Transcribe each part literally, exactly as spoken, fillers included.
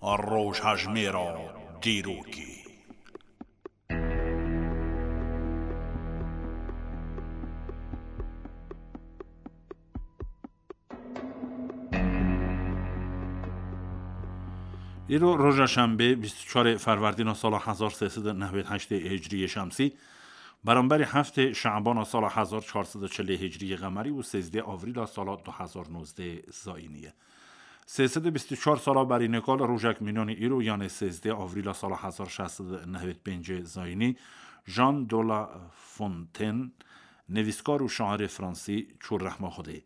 Rojhejmêra dîrokê. Îro roja şembê, bîst û çarê ferwerdîna sala hezar sê sed û nehwêd heştê hicriyê şemsî, beramberî heftê şe'bana sala hezar çar sed û çilê hicriyê qemerî û sêzdê avrîla sala du hezar nozdeh zayînî ye. Sê sed û bîst û çar sala berî nika li rojek mînanî îro, yanê sêzdê avrîla sala hezar şeş sed û nehwêd pêncê zayînî, Jean de La Fontaine, nivîskar û şairê fransî çû rehma Xwedê.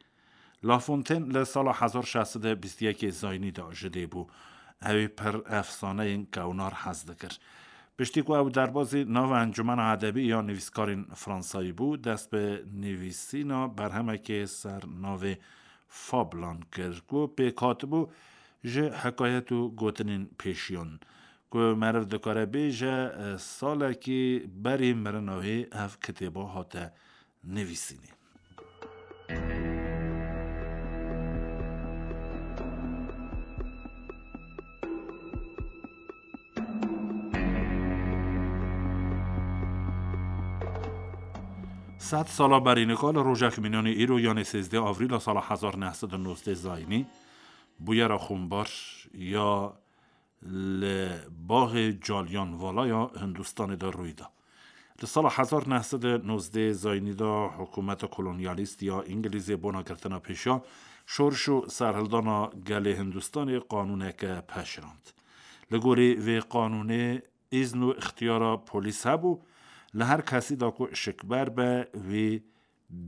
La Fontaine li sala hezar şeş sed û bîst û yekê zayînî de ji dê bû. Ew ê pir efsaneyên kewnar hez dikir. Piştî ku ew derbazî nava Encûmena Edebî ya Nivîskarên Fransayî bû, dest bi nivîsîna berhemekê ser navê Fablan kir, ku pêk hatibû ji hikayet û gotinên pêşiyan, ku meriv dikare bêje, salekî berî mirina wê ev kitêba hate nivîsînê. Sed sala berî nika li rojek mînanî îro, yanê sêzdeh avrîla sala hezar neh sed û nozdeh zayînî, bûyera xumbar ya li baxê Caliyanvala ya Hindistanê de rûy da. Li sala hezar neh sed û nozdeh zayînî de hikûmeta kolonyalîst ya Îngilîzê bona girtina pêşiya şoriş û serhildana gelê Hindistanê qanûneke peşirand. Li gorî vê qanûnê îzn û îxtiyara polîs hebû, li her kesî de ku şikber be, wî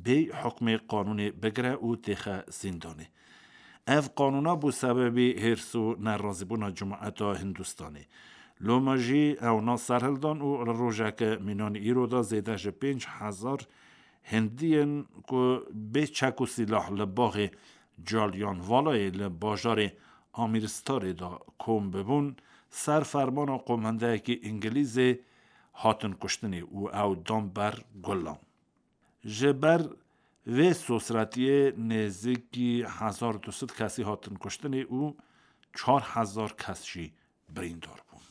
bê hukmê qanûnê bigire û têxe zîndanê. Ev qanûna bû sebebî hêrs û nerazîbûna cemaeta Hindistanê. Loma jî ewna serhildan û li rojeke mînanî îro de zêde ji pênc hezar Hindiyên ku bê çek û sîlah li baxê Caliyanvalayê li bajarê Amîristarê de kom bibûn, ser fermana qomendeyekî Îngilîzê hatin kuştinê û ew dan ber gulan. Ji ber vê sosretiyê nêzîkî hezar du sed kesî hatin kuştinê û çar hezar kes jî birîndar bûn.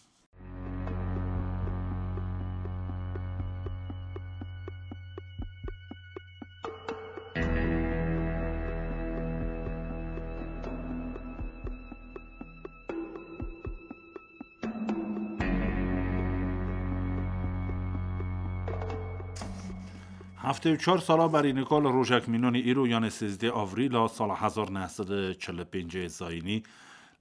Heftê û çar sala berî nika li rojek mînanî îro, yanê sêzdeh avrîla sala hezar neh sed û çil û pêncê zayînî,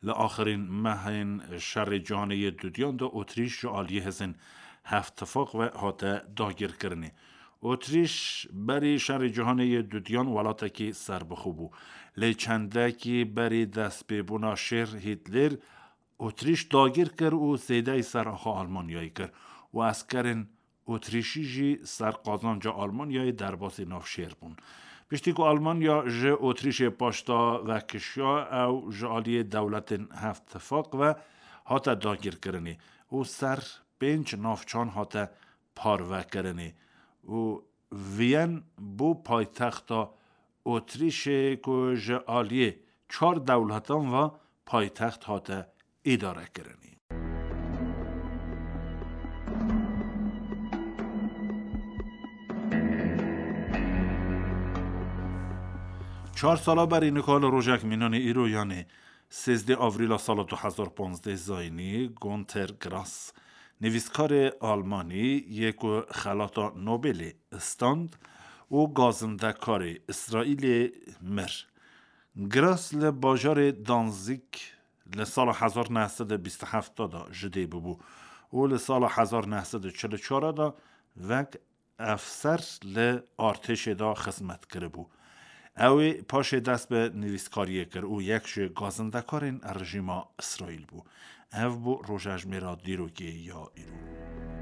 li axirîn mehên şerê cîhanê yê dudiyan de Otrîş ji aliyê hêzên Hevtifaq ve hate dagirkirinê. Otrîş berî şerê cîhanê yê dudiyan welatekî serbixwe bû. Lê çendekî berî destpêbûna şêr Hîtler Otrîş dagir kir û zêdeyî ser axa Almanyayê kir û eskerên Otrîşî jî ser qazanca Almanyayê derbasî nav şêr bûn. Piştî ku Almanya ji Otrîşê paşda vekişiya, ew ji aliyê dewletên Hevtifaq ve hate dagirkirinê û ser pênc navçan hate parvekirinê û Viyen bû paytexta Otrîşê ku ji aliyê çar dewletan ve paytext hate îdarekirinê. Çar sala berî nika li rojek mînanê îro, yanê sêzdeh avrîla sala du hezar panzdeh zayînî, Günter Grass, nivîskarê Almanî yê ku xelata Nobelê stand û gazindekarê Îsraîlê mir. Grass li bajarê Danzig li sala hezar neh sed û bîst û heft de ji dê bûbû û li sala hezar neh sed û çil û çar de wek efser li artêşê de xizmet kiribû. Ew ê paşê dest bi nivîskariyê kir û yek ji gazindekarên rejîma Îsraîl bû. Ev bû rojejmêra dîrokê ya îro.